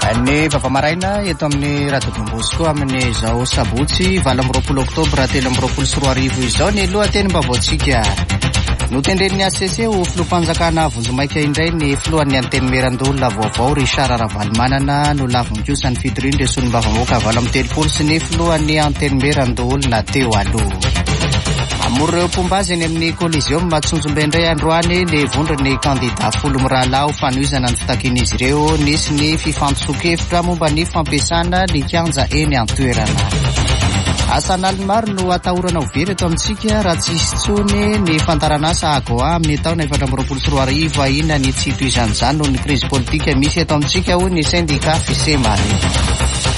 Ny vaovao maraina eto amin'ny Radio Don Bosco amin'izao sabotsy 28 oktobra 2023 izao ny lohatenim-baovaontsika. Notendren'ny HCC ho filoham-panjakana vonjimaika indray ny filohan'ny Antenimierandoholona vaovao Richard Ravalomanana. Nolaviny kosa ny fitorian'ireo solombavambahoaka 38 sy ny filohan'ny Antenimierandoholona teo aloha. Hamory ireo mpomba azy eny amin'ny Coliseum Antsonjombe indray androany ny vondron'ny kandida folo mirahalahy ho fanohizana ny fitakian'izy ireo. Nisy ny fifampisoan-kevitra momba ny fampiasana ny kianja eny an-toerana. Asa an'aliny maro no atahorana ho very eto amintsika raha tsy hisy intsony ny fandaharanasa AGOA amin'ny taona 2024. Ahiana ny tsy hitohizan'izany noho ny krizy politika misy eto amintsika, hoy ny sendika Fisemare.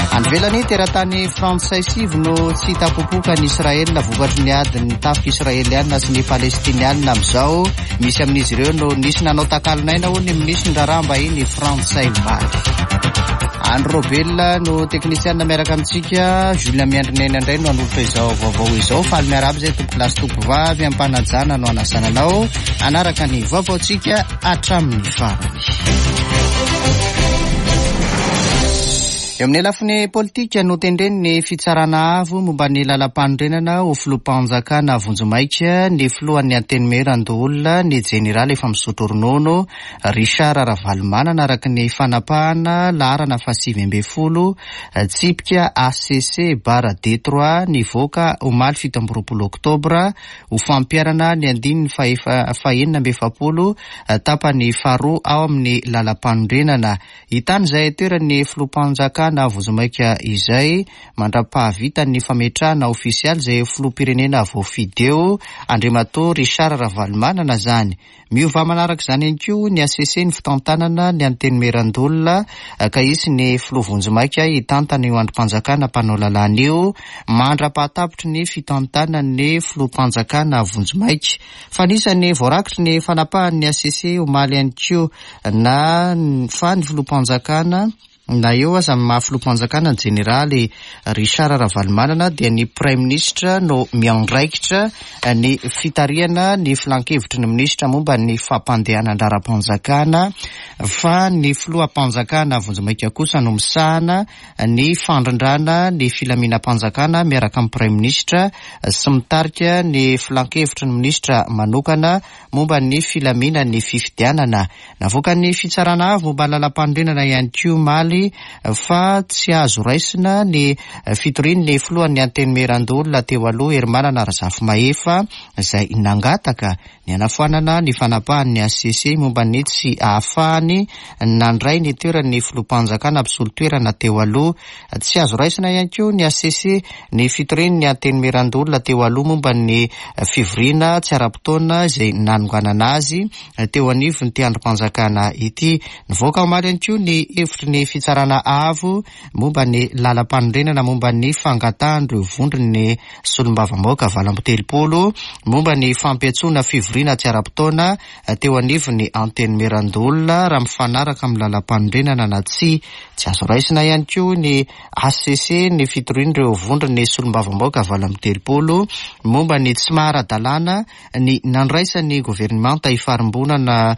Any ivelany, teratany frantsay sivy no tsy hita popoka any Israel vokatry ny adin'ny tafika israelianina sy ny palestinianina amin'izao. Misy amin'izy ireo no nisy nanao takalon'aina, hoy ny minisitry ny raharaham-bahiny frantsay omaly. Andry Robel no teknisianina miaraka amintsika. Julien Miandrinena indray no hanolotra izao vaovao izao. Faly miarahaba izay tompokolahy sy tompovavy am-panajana no hanasana anao hanaraka ny vaovaontsika hatramin'ny farany. Eo amin'ny lafiny politika, notendren'ny Fitsarana Avo momba ny Lalampanorenana ho filoham-panjakana vonjimaika ny filohan'ny Antenimierandoholona, ny jeneraly efa misotro ronono, Richard Ravalomanana, araka ny fanapahana laharana fahasivy ambin'ny folo tsipika HCC barre D3 nivoaka omaly 27 oktobra ho fampiharana ny andininy faha-46 tapany faharoa ao amin'ny lalampanorenana. Hitany izay toeran'ny filoham-panjakana vonjimaika izay mandra-pahavita ny fametrahana ofisialy izay filoham-pirenena voafidy eo, Andriamatoa Richard Ravalomanana zany. Miova manaraka izany ihany koa ny HCC ny fitantanana ny Antenimierandoholona ka hisy ny filoha vonjimaika hitantana io andrim-panjakana mpanao lalàna io mandra-pahatapitry ny fitantanan'ny filoham-panjakana vonjimaika. Fa anisan'ny voarakitry ny fanapahan'ny HCC omaly ihany koa na fa ny filoham-panjakana, na eo aza ny maha filoham-panjakana ny jeneraly Richard Ravalomanana, dia ny praiminisitra no miandraikitra ny fitarihana ny filankevitry ny minisitra momba ny fampandehanan-draharaham-panjakana, fa ny filoham-panjakana vonjimaika kosa no misahana ny fandrindrana ny filaminam-panjakana miaraka amin'ny praiminisitra sy mitarika ny filankevitry ny minisitra manokana momba ny filaminan'ny fifidianana. Navoakan'ny Fitsarana Avo momba ny Lalampanorenana ihany koa omaly fa tsy azo raisina ny fitorian'ny filohan'ny Antenimierandoholona teo aloha Herimanana Razafimahefa izay nangataka ny hanafoanana ny fanapahan'ny HCC momba ny tsy ahafahany nandray ny toeran'ny filoham-panjakana mpisolo toerana teo aloha. Tsy azo raisina ihany koa ny HCC ny fitorian'ny Antenimierandoholona teo aloha momba ny fivoriana tsy ara-potoana izay nanonganana azy teo anivon'ity andrim-panjakana ity. Nivoaka omaly ihany koa ny hevitry ny Fitsarana Avo momba ny lalampanorenana momba ny fangatahan'ireo vondron'ny solombavambahoaka 38 momba ny fampiantsoana fivoriana tsy ara-potoana teo anivon'ny Antenimierandoholona raha mifanaraka amin'ny lalampanorenana na tsia. Tsy azo raisina ihany koa ny HCC ny fitorian'ireo vondron'ny solombavambahoaka 38 momba ny tsy maha ara-dalàna ny nandraisan'ny governemanta ifarimbonana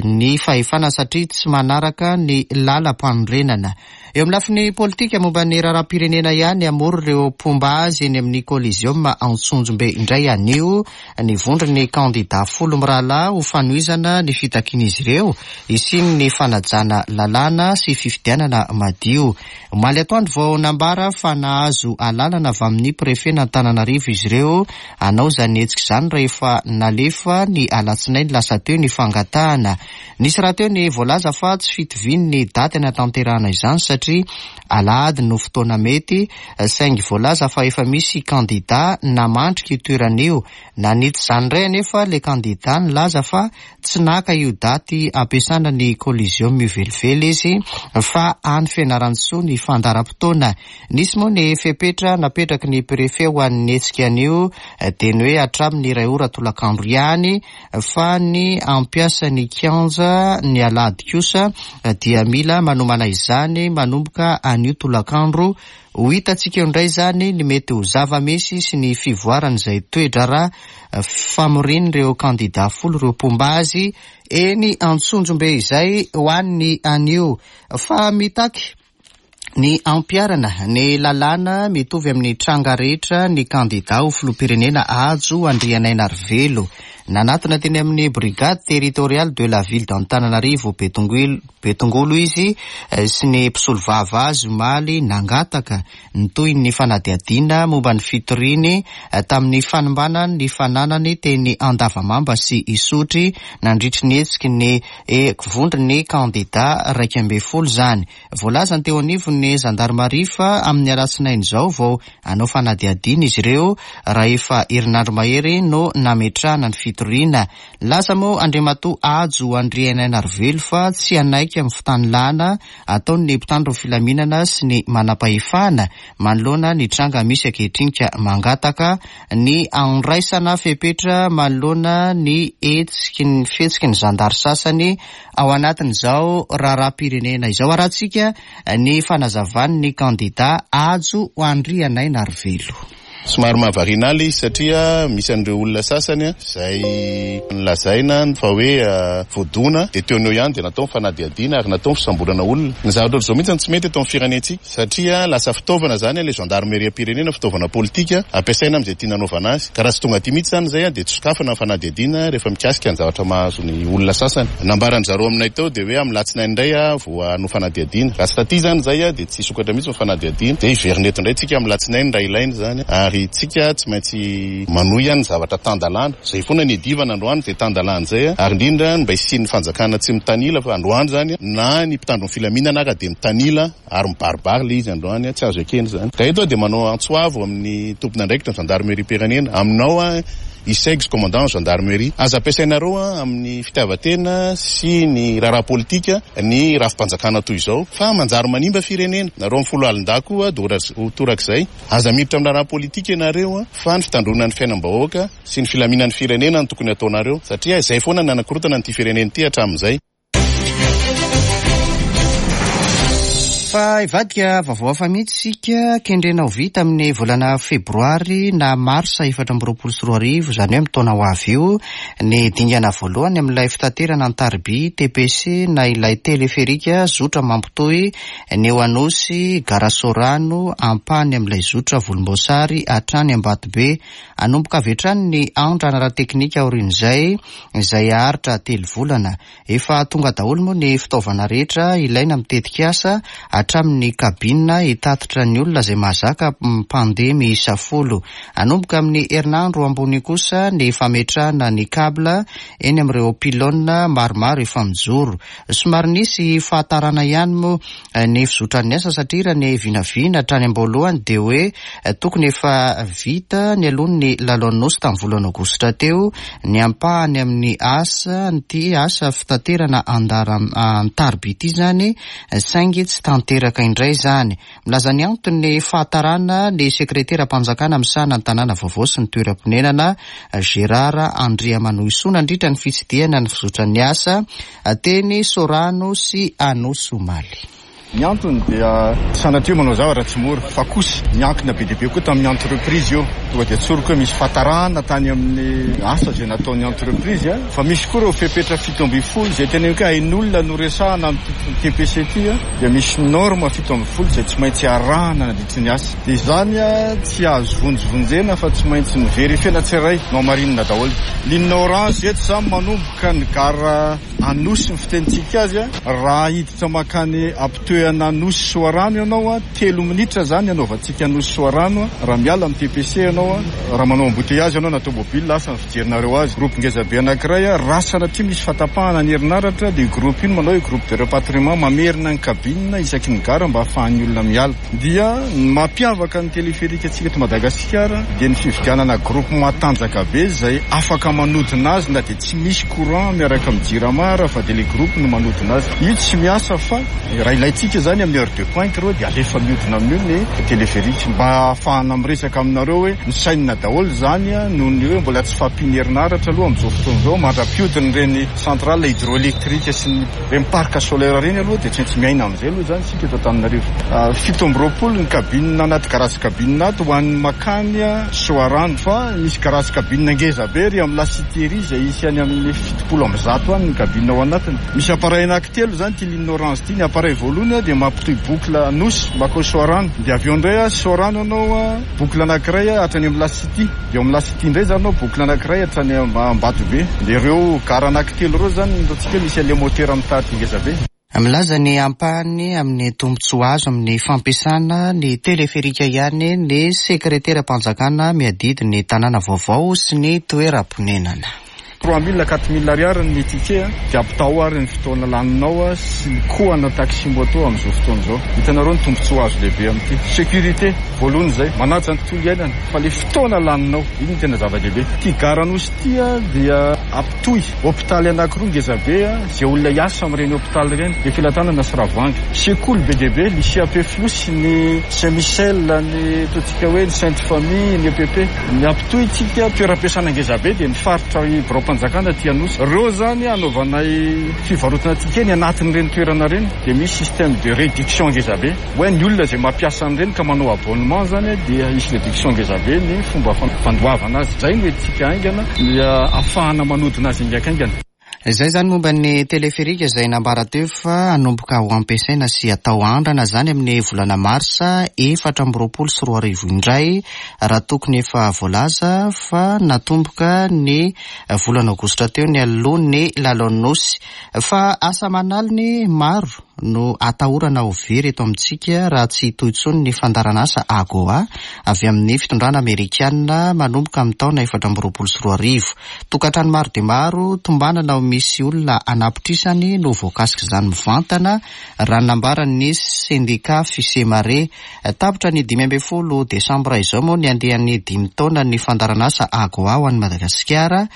ny fahefana satria tsy manaraka ny lalampanorenana. Eo amin'ny lafiny politika momba ny raharaham-pirenena ihany, hamory ireo mpomba azy eny amin'ny Coliseum Antsonjombe indray anio ny vondron'ny kandida folo mirahalahy ho fanohizana ny fitakian'izy ireo hisian'ny fanajana lalàna sy fifidianana madio. Omaly atoandro vao nambara fa nahazo alalana avy amin'ny prefen'Antananarivo izy ireo hanao izany hetsika izany rehefa nalefa ny alatsinainy lasa teo ny fangatahana. Nisy rahateo ny voalaza fa tsy fitovian'ny daty hanatanterahana izany satria alahady no fotoana mety, saingy voalaza fa efa misy kandida namandrika io toerana io. Nanitsy izany indray anefa ilay kandida nilaza fa tsy naka io daty ampiasana ny Coliseum io velively izy fa any Fianarantsoa ny fandaharam-potoana. Nisy moa ny fepetra napetraky ny Préfet ho an'ny hetsika anio dia ny hoe hatramin'ny iray ora tolakandro ihany fa ny hampiasa ny kianja ny alahady kosa dia mila manomana izany manomboka anio tolakandro. Ho hitantsika eo indray izany ny mety ho zava-misy sy ny fivoaran'izay toe-draharaha famorian'ireo kandida folo ireo mpomba azy eny Antsonjombe izay ho an'ny anio. Fa mitaky. Ny hampiharana ny lalàna mitovy amin'ny tranga rehetra ny kandidà ho filoham-pirenena Hajo Andrianainarivelo. Nanatona teny amin'ny Brigade territoriale de la ville d'Antananarivo Betongolo izy sy ny mpisolovava azy omaly nangataka ny tohin'ny fanadihadiana momba ny fitoriany tamin'ny fanimbana ny fananany teny Andavamamba sy Isotry nandritry ny hetsiky ny vondron'ny kandidà 11 izany. Voalazan'ny teo anivon'ny zandarimaria fa amin'ny alatsinainy izao vao hanao fanadihadiana izy ireo raha efa herinandro mahery no nametrahana ny fitoriana. Nilaza moa Andriamatoa Hajo Andrianainarivelo fa tsy hanaiky amin'ny fitanilana ataon'ny mpitandro ny filaminana sy ny manampahefana manoloana ny tranga misy ankehitriny ka mangataka ny handraisana fepetra manoloana ny hetsiky ny fihetsiky ny zandary sasany ao anatin'izao raharaham-pirenena izao. Arahantsika ny fanazavan'ny kandida Hajo Andrianainarivelo. Somary mahavariana ahy ilay izy satria misy an'ireo olona sasany izay nolazaina fa hoe voadona dia teo no eo ihany dia natao ny fanadihadiana ary natao ny fisamborana olona. Ny zavatra ohatr'izao mihitsy no tsy mety eto amin'ny firenentsika satria lasa fitaovana izany ilay gendarmeriam-pirenena, fitaovana politika ampiasaina amin'izay tiana hanaovana azy. Ka raha tsy tonga aty mihitsy izany izay dia tsy sokafana ny fanadihadiana rehefa mikasika ny zavatra mahazo ny olona sasany. Nambaran-dry zareo aminay teo dia hoe amin'ny alatsinainy indray vao hanao fanadihadiana. Raha tsy taty izany izay dia tsy hisokatra mihitsy ny fanadihadiana. Dia hiverina eto indray tsika amin'ny alatsinainy raha ilaina izany. Ary tsika tsy maintsy manohy ny zavatra tan-dalàna. Izay foana ny iadivana androany, izay tan-dalàna izay. Ary indrindra ny mba hisian'ny fanjakana tsy mitanila fa androany izany na ny mpitandro ny filaminana ara dia mitanila ary mibaribary ilay izy androany. Tsy azo ekena izany. Ka eto aho dia manao antso avo amin'ny tompon'andraikitra ny zandarimeriam-pirenena. Aminao aho Isegs commandant gendarmerie. Aza ampiasainareo amin'ny fitiavan-tena sy ny raharaha politika ny rafi-panjakana toy izao fa manjary manimba firenena. Nareo amin'ny foloalindahy koa dia ho torak'izay. Aza miditra amin'ny raharaha politika ianareo fa ny fitandroana ny fiainam-bahoaka sy ny filaminan'ny firenena no tokony ataonareo satria izay foana no nanakorotana an'ity firenena ity hatramin'izay. Fa hivadika vaovao hafa mihitsy isika, kendrena ho vita amin'ny volana febroary na marsa 2024, izany hoe amin'ny taona ho avy io, ny dingana voalohany amin'ilay fitaterana an-tariby TPC na ilay teleferika zotra mampitohy ny eo Anosy, Gara Soarano, ampahany amin'ilay zotra volomboasary hatrany Ambatobe. Hanomboka avy hatrany ny andrana ara-teknika aorian'izay, izay haharitra telo volana. Efa tonga daholo moa ny fitaovana rehetra ilaina amin'ny tetikasa, hatramin'ny cabine hitatitra ny olona izay mahazaka mpandeha miisa folo. Hanomboka amin'ny herinandro ambony kosa ny fametrahana ny cable eny amin'ireo pylône maromaro efa mijoro. Somary nisy fahatarana ihany moa ny fizotran'ny asa satria raha ny vinavina hatrany am-boalohany dia hoe tokony efa vita nialoha ny lalaon'ny Nosy tamin'ny volana aogositra teo ny ampahany amin'ny asa an'ity asa fitaterana an-tariby ity izany saingy tsy tanteraka indray izany. Milaza ny anton'ny fahatarana ny sekreteram-panjakana misahana ny tanàna vaovao sy ny toeram-ponenana Gérard Andriamanohisoa nandritra ny fitsidihana ny fizotran'ny asa teny Sorano sy Anosy omaly. Ny antony dia sanatria manao zavatra tsy mora fa kosa miankina be dia be koa tamin'ny entreprise io. Tonga dia tsoriko hoe misy fahatarana tany amin'ny asa izay nataon'ny entreprise fa misy koa ireo fepetra 17 izay teneniko hoe ain'olona no resahana amin'ity TPC ity dia misy norme 17 izay tsy maintsy arahana nandritry ny asa. Dia izany tsy azo vonjivonjena fa tsy maintsy noverifiena tsirairay, nohamarinina daholo. Ligne orange eto izany manomboka ny gara Anosy ny fitenintsika azy, raha hiditra mankany ampitoeana Anosy Soarano ianao, telo minitra izany hanaovantsika Anosy Soarano raha miala amin'ny TPC ianao, raha manao embouteillage ianao na tomobile, asa ny fijerinareo azy. Groupe ngeza be anankiray, raha sanatria misy fahatapahana ny herinaratra dia io groupe io no manao hoe groupe de rapatriement, mamerina ny cabine isaky ny gara mba ahafahan'ny olona miala. Dia ny mampiavaka ny téléphérique antsika eto Madagasikara dia ny fividianana groupe matanjaka be izay afaka manodina azy na dia tsy misy courant miaraka amin'ny jirama ara fa dia ilay groupe no manodina azy. Io tsy miasa fa raha ilaintsika izany amin'ny heure de pointe ireo dia alefa miodina amin'io ny téléphérique mba ahafahana miresaka aminareo hoe misainina daholo izany noho ny hoe mbola tsy fahampian'ny herinaratra aloha amin'izao fotoana izao mandra-piodina ireny centrale hydroélectrique sy ny ireny parc solaire ireny aloha dia tsy maintsy miaina amin'izay aloha izany isika eto Antananarivo. 27 ny cabine anaty garage cabine ato ho an'ny makany Soarano fa misy garage cabine ngeza be ery amin'ny La Cité ery izay hisy any amin'ny 170 any ny cabine ao anatiny. Misy appareil anankitelo izany ity ligne orange ity. Ny appareil voalohany zany dia mampitohy boucle Anosy makao Soarano, dia avy eo indray Soarano ianao boucle anankiray hatrany amin'ny La City, dia ao amin'ny La City indray zany ianao boucle anankiray hatrany Ambatobe. Dia ireo gara anankitelo ireo zany no ataontsika hoe misy an'ilay motera mitarika ngezabe. Milaza ny ampahany amin'ny tombontsoa azo amin'ny fampiasana ny teleferika ihany ny sekreteram-panjakana miadidy ny tanàna vaovao sy ny toeram-ponenana. 3000 4000 ariary ny ticket dia ampitahao ary ny fotoana laninao sy ny coût ana taxi moto amin'izao fotoana izao. Hitanareo ny tombontsoa azo lehibe amin'ity. Sécurité, voalohany izay, manaja ny tontolo iainana fa ilay fotoana laninao, iny no tena zava-dehibe. Ity gara Anosy ity dia ampitohy hopitaly anankiroa ngezabe izay olona hiasa amin'ireny hopitaly ireny, Befelatanana sy Ravoahangy. Sekoly be dia be, lycée Ampefiloha sy ny Saint Michel, ny ataontsika hoe ny Sainte Famille, ny EPP. Ny hampitohy tsika toeram-piasana ngezabe dia ny faritra biraom-panjakana aty Anosy. Ireo izany hanaovanay fivarotana ticket ny anatin'ireny toerana ireny dia misy système de réduction ngezabe. Hoe ny olona izay mampiasa an'ireny ka manao abonnement izany dia hisy réduction ngezabe ny fomba fandoavana azy. Izay no entintsika haingana ny ahafahana manodina azy haingankaingana. Izay izany momba ny teleferika izay nambara teo fa hanomboka ho ampiasaina sy hatao andrana izany amin'ny volana marsa 2024 indray raha tokony efa voalaza fa natomboka ny volana aogositra teo nialoha ny lalaon'ny Nosy. Fa asa aman'aliny maro no atahorana ho very eto amintsika raha tsy hitohy intsony ny fandaharanasa AGOA avy amin'ny fitondrana amerikana manomboka amin'ny taona 2024. Tokantrano maro dia maro tombanana ho misy olona anapitrisany no voakasik'izany mivantana raha ny nambaran'ny sendika Fisemare. Tapitra ny 15 desambra izao moa ny andiany dimy taonan'ny fandaharanasa AGOA ho an'i Madagasikara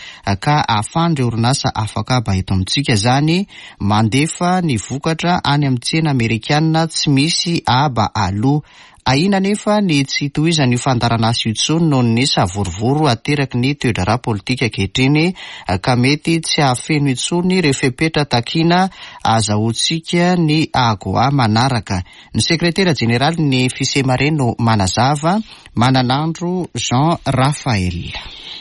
ka ahafahan'ireo orinasa afakaba eto amintsika izany Mandefa ny vokatra any amin'ny tsena amerikana tsy misy haba aloa. Ahiana anefa ny tsy hitohizan'io fandaharanasa io intsony noho ny savorovoro ateraky ny toe-draharaha politika ankehitriny ka mety tsy hahafeno intsony ireo fepetra takiana ahazahoantsika ny AGOA manaraka. Ny sekretera jeneralin'ny Fisemare no manazava, Mananandro Jean Raphaël.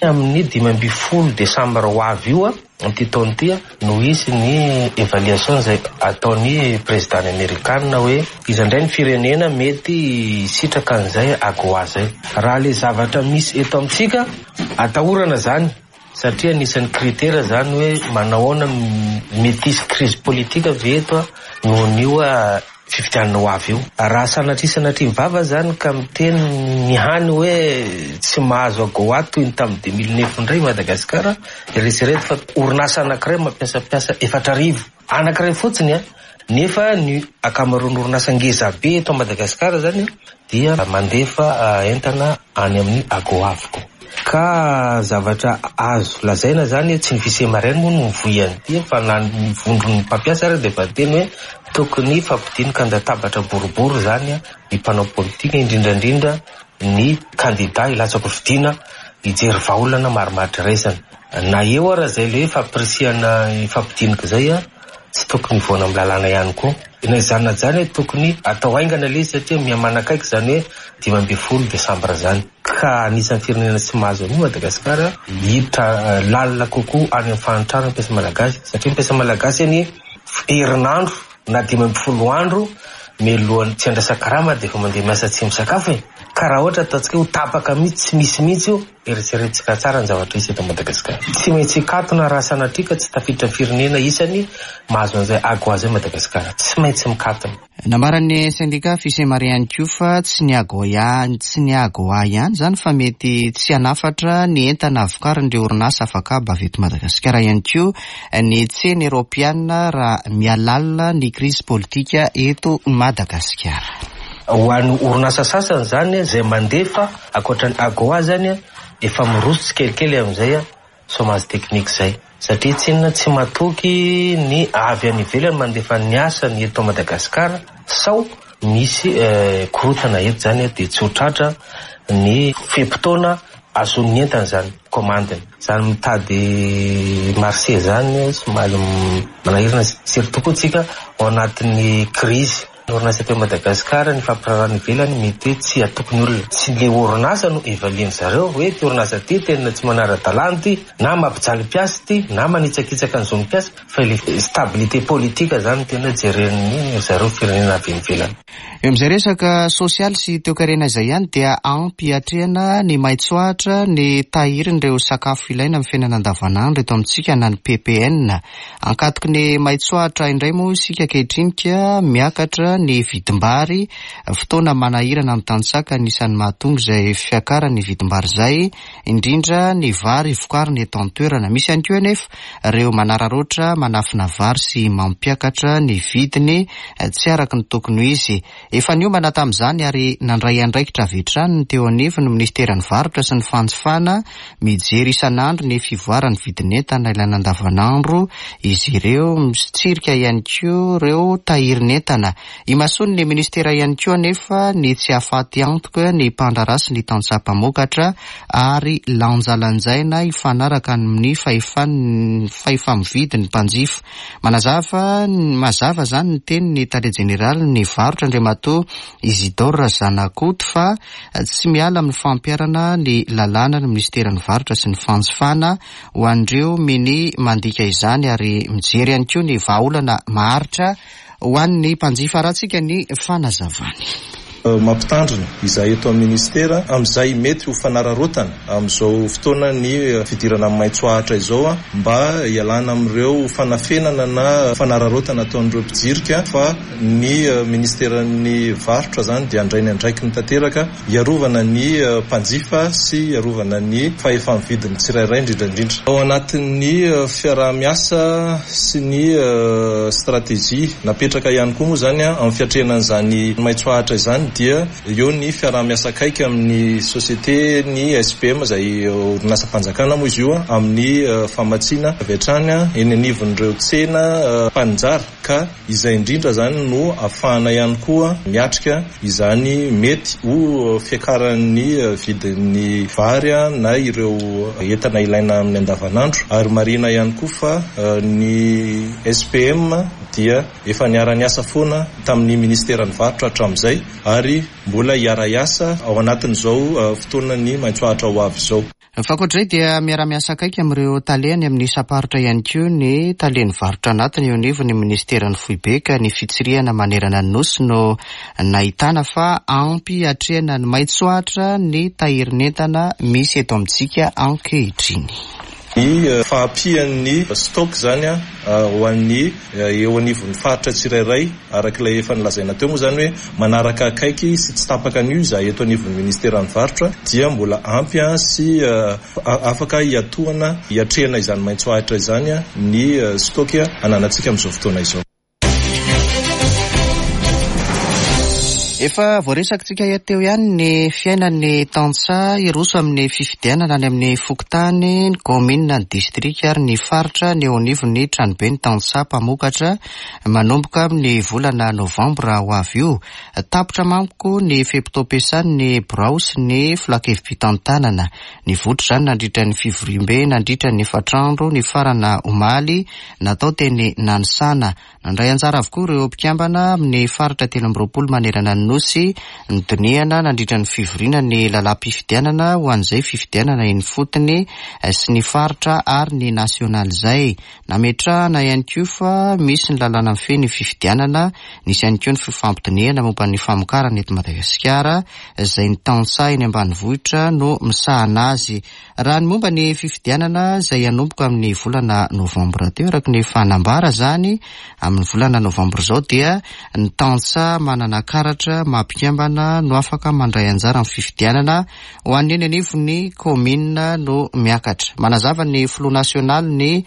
Amin'ny 15 desambra ho avy io, Amin'ity taona ity no hisy ny évaluation izay ataon'ny président amerikana hoe iza indray ny firenena mety hisitraka an'izay AGOA izay. Raha ilay zavatra misy eto amintsika, atahorana izany satria anisan'ny critère izany hoe manao ahoana mety hisy crise politique ve eto noho an'io fifidianana ho avy io. Raha sanatria sanatria ny vava zany ka miteny ny hany hoe tsy mahazo AGOA toy ny tamin'ny 2009 indray i Madagasikara, eritrereto fa orinasa anankiray mampiasa mpiasa 4000, anankiray fotsiny an, nefa ny ankamaroan'ny orinasa ngeza be eto Madagasikara zany dia mandefa entana any amin'ny AGOA avokoa. Ka zavatra azo lazaina zany, tsy ny Fisemaren moa no mivoy an'ity fa na ny vondron'ny mpampiasa ary dia efa niteny hoe tokony hifampidinika an-databatra boribory zany ny mpanao politika, indrindra indrindra ny kandida hilatsaka hofidiana hijery vahaolana marimaritra iraisana. Na eo ara izay le fampirisihana hifampidinika izay, tsy tokony hivoana amin'ny lalàna ihany koa. Na izany na izany tokony atao haingana ilay izy satria miha-manakaiky izany hoe 15 desambra izany. Ka anisan'ny firenena tsy mahazo an'io Madagasikara, hiditra lalina kokoa any amin'ny fahantrana ny mpiasa malagasy satria ny mpiasa malagasy anie herinandro na 15 andro mialohan'ny tsy andrasan-karama dia efa mandeha miasa tsy misakafo e! Ka raha ohatra ataontsika hoe ho tapaka mihitsy tsy misy mihitsy io, Eritreretintsika tsara ny zavatra hisy eto Madagasikara. Tsy maintsy hikatona raha sanatria ka tsy tafiditra firenena isany mahazo an'izay AGOA izay Madagasikara. Tsy maintsy mikatona. Nambaran'ny sendika Fisemare ihany koa fa tsy ny AGOA ihany tsy ny AGOA ihany izany fa mety tsy hanafatra ny entana vokarin'ireo orinasa afakaba avy eto Madagasikara ihany koa ny tsena Eoropeana raha mihalalina ny krizy politika eto Madagasikara. Ho an'ny orinasa sasany izany izay mandefa Ankoatra ny AGOA zany efa miroso tsikelikely amin'izay chômage technique zay satria tsinona tsy matoky ny avy any ivelany mandefa ny asany eto Madagascar sao misy korontana eto zany dia tsy ho tratra ny fe-potoana azon'ny entana zany commande-ny. Zany mitady marché zany somary manahirana surtout koa tsika ao anatin'ny crise. Ny orinasa eto Madagasikara, ny fampirarahana ivelany mety hoe tsy hatoky ny olona. Tsy le orinasa no evaluer-ny zareo hoe ity orinasa ity tena tsy manara-dalàna ity, na mampijaly mpiasa ity, na manitsakitsaka ny zon'ny mpiasa, fa ilay stabilité politique zany no tena jeren'ny zareo firenena avy any ivelany. Eo amin'izay resaka sosialy sy toekarena izay ihany dia ampy hiatrehana ny maitsoahitra ny tahirin'ireo sakafo ilaina amin'ny fiainana andavanandro eto amintsika na ny ppn. Ankatoky ny maitsoahitra indray moa isika ankehitriny ka miakatra ny vidim-bary, fotoana manahirana ny tantsaha ka anisan'ny mahatonga izay fiakaran'ny vidim-bary izay indrindra ny vary vokarina eto an-toerana. Misy ihany koa anefa ireo manararaotra manafina vary sy mampiakatra ny vidiny tsy araka ny tokony ho izy. Efa niomana tamin'izany ary nandray andraikitra avy hatrany ny teo anivon'ny minisiteran'ny Varotra sy ny Fanjifana mijery isan'andro ny fivoaran'ny vidin'entana ilaina andavanandro izy ireo, mitsirika ihany koa ireo tahirin'entana. Imasoan'ny minisitera ihany koa anefa ny tsy hahafaty antoka ny mpandraharaha sy ny tantsaha mpamokatra ary lanjalanjaina hifanaraka amin'ny fahefan'ny fahefa-mividy ny mpanjifa. Manazava mazava izany ny tenin'ny tale jeneralin'ny varotra Andriamatoa Isidore Zanakoto fa tsy miala amin'ny fampiharana ny lalàna ny minisiteran'ny varotra sy ny fanjifana ho an'ireo minia mandika izany ary mijery ihany koa ny vahaolana maharitra Ho an'ny mpanjifa arahantsika ny fanazavany. Mampitandrina izahay eto amin'ny Minisitera amin'izay mety ho fanararaotana amin'izao fotoanan'ny fidirana amin'ny maitso ahitra izao mba hialana amin'ireo fanafenana na fanararaotana ataon'ireo mpijirika fa ny Minisiteran'ny Varotra izany dia handray ny andraikiny tanteraka hiarovana ny mpanjifa sy hiarovana ny fahefa-mividin'ny tsirairay indrindra indrindra. Ao anatin'ny fiaraha-miasa sy ny stratégie napetraka ihany koa moa izany amin'ny fiatrehana an'izany maitso ahitra izany dia eo ny fiaraha-miasa akaiky amin'ny société ny SPM izay orinasam-panjakana moa izy io amin'ny famatsiana avy hatrany eny anivon'ireo tsena mpaninjara ka Izay indrindra izany no afahana ihany koa miatrika izany mety ho fiakaran'ny vidin'ny vary na ireo entana ilaina amin'ny andavanandro. Ary marihina ihany koa fa ny SPM dia efa niara-niasa foana tamin'ny Ministeran'ny Varotra hatramin'izay ary mbola hiara-hiasa ao anatin'izao fotoanan'ny maitso ahitra ho avy izao. Fa ankoatr'izay dia miara-miasa akaiky amin'ireo tale any amin'ny isam-paritra ihany koa ny talen'ny varotra anatiny eo anivon'ny minisiteran'ny foibe ka ny fitsirihana manerana ny Nosy no nahitana fa ampy hiatrehana ny maitsoahitra ny tahirin'entana misy eto amintsika ankehitriny. Ny fahampian'ny stock izany ho an'ny eo anivon'ny faritra tsirairay, araka ilay efa nolazaina teo moa izany hoe manaraka akaiky sy tsy tapaka an'io izahay eto anivon'ny ministeran'ny varotra dia mbola ampy sy afaka hiatohana hiatrehana izany maitso ahitra izany ny stock ananantsika amin'izao fotoana izao. Efa voaresakitsika teo ihany ny fiainan'ny tantsaha hiroso amin'ny fifidianana any amin'ny fokontany, ny kaominina, ny distrika ary ny faritra ny eo anivon'ny tranoben'ny tantsaha mpamokatra manomboka amin'ny volana novambra ho avy io. Tapitra manko ny fe-potoam-piasan'ny birao sy ny filankevi-pitantanana. Nivoitra izany nandritra ny fivoriambe nandritra ny efatra andro nifarana omaly natao teny Nanisana. Nandray anjara avokoa ireo mpikambana amin'ny faritra 23 manerana ny Nosy nodinihana nandritra ny fivoriana ny lalàm-pifidianana ho an'izay fifidianana eny ifotony sy ny faritra ary ny nasionaly izay. Nametrahana ihany koa fa misy ny lalàna mifehy ny fifidianana, nisy ihany koa ny fifampidinihana momba ny famokarana eto Madagasikara izay ny tantsaha eny ambanivohitra no misahana azy. Raha ny momba ny fifidianana izay hanomboka amin'ny volana novambra teo, araka ny efa nambara izany, amin'ny volana novambra izao dia ny tantsaha manana karatra maha mpikambana no afaka mandray anjara amin'ny fifidianana ho an'ny eny anivon'ny kaominina no miakatra. Manazava ny filoha nasionalin'ny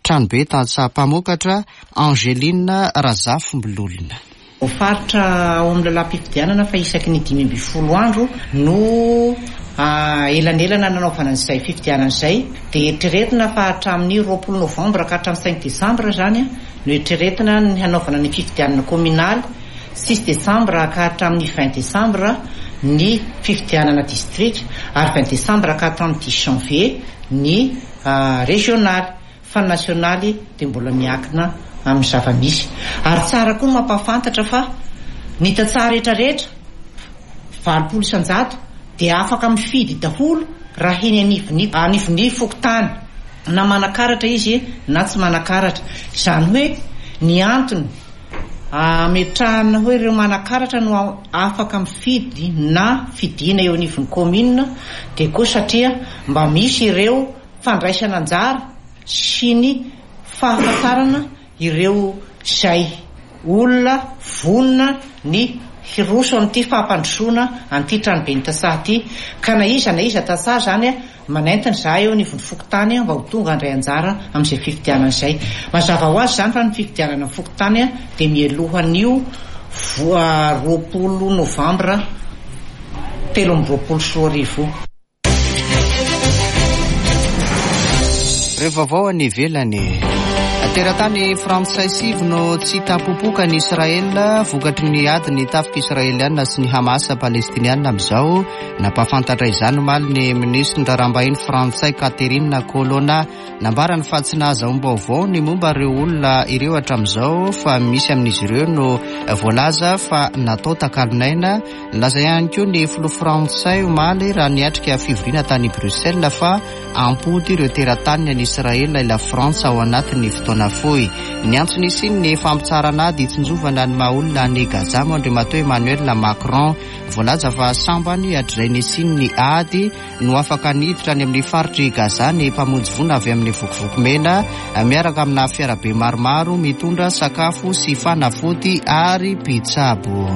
tranobe tantsaha mpamokatra, Angeline Razafimbololona. Voafaritra ao amin'ny lalàm-pifidianana fa isaky ny 15 andro no elanelana nanaovana an'izay fifidianana izay dia eritreretina fa hatramin'ny 20 novambra ka hatramin'ny cinq desambra izany no eritreretina ny hanaovana ny fifidianana kaominaly, six desambra ka hatramin'ny vingt desambra ny fifidianana distrika ary vingt desambra ka hatramin'ny dix janvier ny rezionaly. Fa ny nasionaly dia mbola miankina amin'ny zava-misy. Ary tsara koa ny mampahafantatra fa. Ny tantsaha rehetra rehetra, 80%, dia afaka mifidy daholo raha eny anivon'ny anivon'ny fokontany, na manan-karatra izy na tsy manan-karatra. Izany hoe ny antony ametrahana hoe ireo manan-karatra no afaka mifidy na fidiana eo anivon'ny kaominina dia koa satria mba misy ireo fandraisana anjara sy ny fahafantarana ireo izay olona vonona ny hiroso amin'ity fampandrosoana an'ity tranoben'ny tantsaha ity ka na iza na iza tantsaha izany manentana izahay eo anivon'ny fokontany mba ho tonga handray anjara amin'izay fifidianana izay. Mazava ho azy izany fa ny fifidianana ny fokontany dia mialohan'io 20 novambra 2023 io. Ireo vaovao any ivelany. Teratany frantsay sivy no tsy hita popoka any Israel vokatry ny ady ny tafika israeliana sy ny Hamas palestiniana amin'izao. Nampahafantatra izany omaly ny minisitry ny raharaham-bahiny frantsay Catherine Colonna. Nambarany fa tsy nahazahoam-baovao ny momba ireo olona ireo hatramin'izao fa misy amin'izy ireo no voalaza fa natao takalon'aina. Nilaza ihany koa ny filoha frantsay omaly raha niatrika fivoriana tany Bruxelles fa hampody ireo terataniny any Israel ilay Frantsa ao anatin'ny fotoana fohy. Niantso ny hisian'ny fampitsaharana ady hitsinjovana ny maha olona any Gaza moa Andriamatoa Emmanuel Macron. Voalaza fa sambany hatrizay nisian'ny ady no afaka niditra any amin'ny faritr'i Gaza ny mpamonjy voina avy amin'ny Vokovoko Mena miaraka amina fiarabe maromaro mitondra sakafo sy fanafody ary mpitsabo.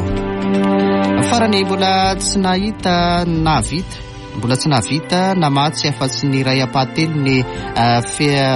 Farany mbola tsy nahita nahavita mbola tsy nahavita namatsy afa-tsy ny iray ampahatelony eh,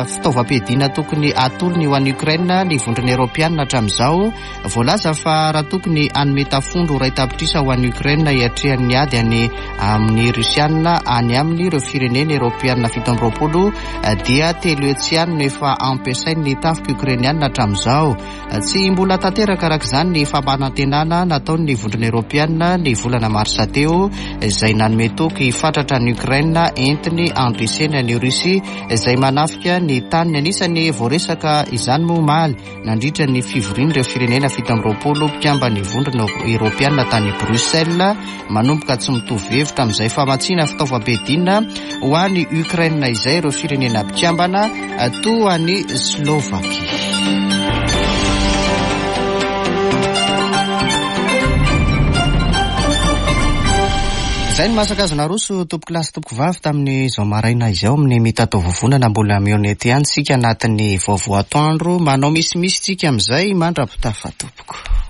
fitaovam-piadiana tokony atolony ho an'i Ukraine ny vondrona Eoropeanina hatramin'izao. Voalaza fa raha tokony hanome tafondro iray tapitrisa ho an'i Ukraine hiatrehany ny ady any amin'ny Rosiana any aminy ireo firenena Eoropeana 27 dia telo hetsy ihany no efa ampiasain'ny tafika Ukrainiana hatramin'izao. Tsy mbola tanteraka araka izany ny fampanantenana nataon'ny Vondrona Eoropeana ny volana marsa teo izay nanome toky fatratra an'i Ukraine entiny handreseny an'i Russie izay manafika ny taniny. Anisan'ny voaresaka izany moa omaly nandritra ny fivorian'ireo firenena 27 mpikamban'ny Vondrona Eoropeana tany Bruxelles, manomboka tsy mitovy hevitra amin'izay famatsiana fitaovam-piadiana ho an'i Ukraine izay ireo firenena mpikambana toa an'i Slovakia. Izay ny masaka azo naroso tompokolahy sy tompokovavy tamin'izao maraina izao amin'ny mitatao vovonana mbola mihaona eto ihany isika anatin'ny vaovao atoandro manao misimisy tsika amin'izay mandra-pitafa tompoko.